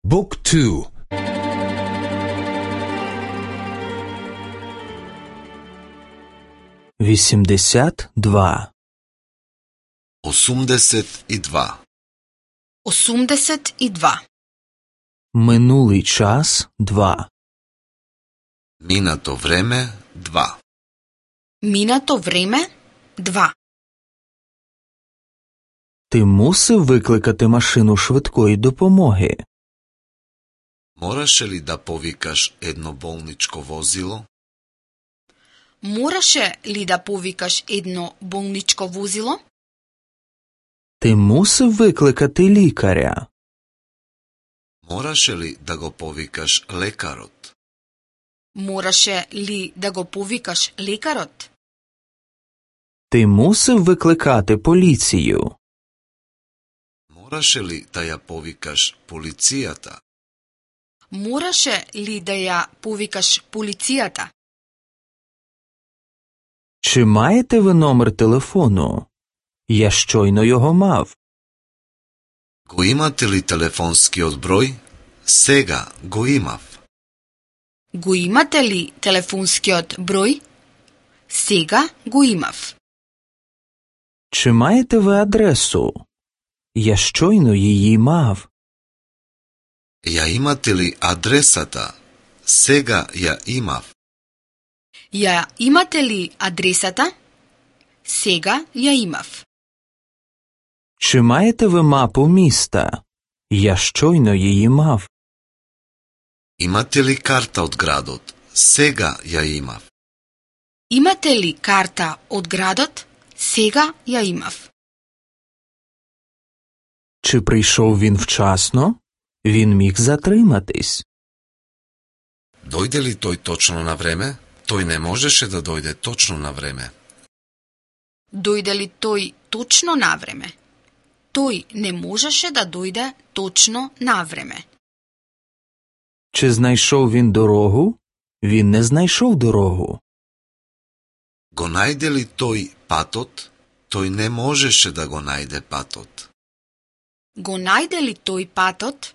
Book 2. 82. 82. 82. Минулий час 2. Минато време 2. Минато време 2. Ти мусив викликати машину швидкої допомоги? Мораше ли да повикаш едно болничко возило? Мораше ли да повикаш едно болничко возило? Ти мусив викликати лікаря? Мораше ли да го повикаш лекарот? Мораше ли да го повикаш лекарот? Ти мусив викликати поліцію? Мораше ли да ја повикаш полицијата? Мораше ли да ја повикаш полицијата? Чи маєте ви номер телефону? Я щойно його мав. Го имате ли телефонскиот број? Сега го имав. Го имате ли телефонскиот број? Сега го имав. Чи маєте ви адресу? Я щойно її мав. Ја имате ли адресата? Сега ја имав. Ја имате ли адресата? Сега ја имав. Чи маєте ви мапу міста? Я щойно її мав. Имате ли карта од градот? Сега ја имав. Имате ли карта од градот? Сега ја имав. Чи прийшов він вчасно? Він міг затриматись. Дојде ли тој точно на време? Тој не можеше да дојде точно на време. Дојде ли тој точно на време? Тој не можеше да дојде точно на време. Чи знайшов він дорогу? Він не знайшов дорогу. Го најде ли тој патот? Тој не можеше да го најде патот. Го најде ли тој патот?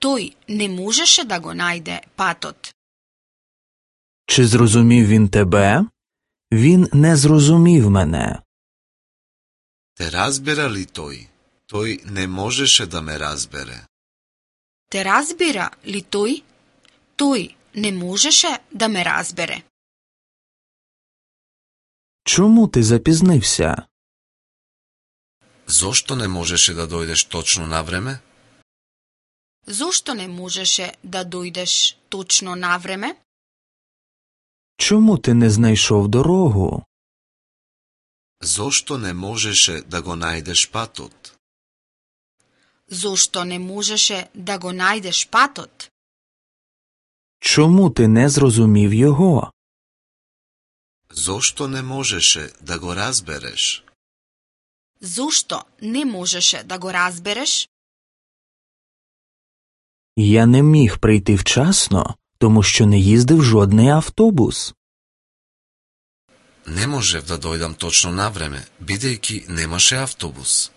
Тој не можеше да го најде патот. Чи зрозумів він тебе? Він не зрозумів мене. Те разбера ли тој? Тој не можеше да ме разбере. Те разбира ли тој? Тој не можеше да ме разбере. Чому ти запізнився? Зошто не можеше да дојдеш точно на време? Зошто не можеше да дојдеш точно на време? Чому ти не знайшов дорогу? Зошто не можеше да го најдеш патот? Зошто не можеше да го најдеш патот? Чому ти не зрозумів його? Зошто не можеше да го разбереш? Зошто не можеше да го разбереш? Я не міг прийти вчасно, тому що не їздив жодний автобус. Не можев да дојдам точно на време, бидејќи немаше автобус.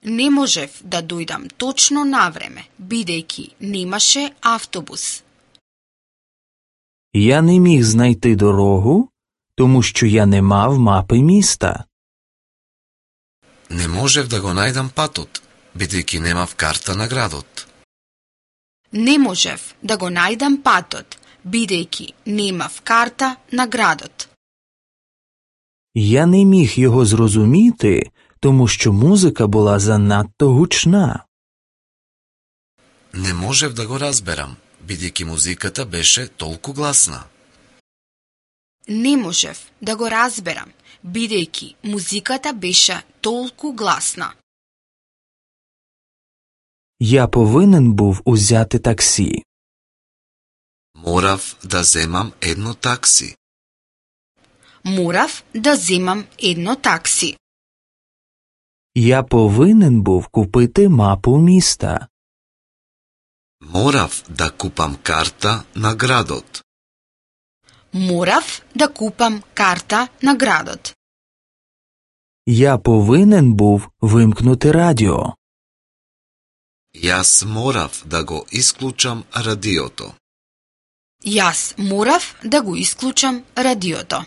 Не можев да дојдам точно на време, бидејќи немаше автобус. Я не міг знайти дорогу, тому що я не мав мапи міста. Не можев да го најдам патот, бидејќи немав карта на градот. Не можев да го најдам патот, бидејќи немав карта на градот. Я не міг його зрозуміти, тому що музика була занадто гучна. Не можев да го разберам, бидејќи музиката беше толку гласна. Не можев да го разберам, бидејќи музиката беше толку гласна. Я повинен був узяти таксі. Морав да земам едно такси. Морав да земам едно такси. Я повинен був купити мапу міста. Морав да купам карта на градот. Морав да купам карта на градот. Я повинен був вимкнути радіо. Јас морав да го исклучам радиото. Јас морав да го исклучам радиото.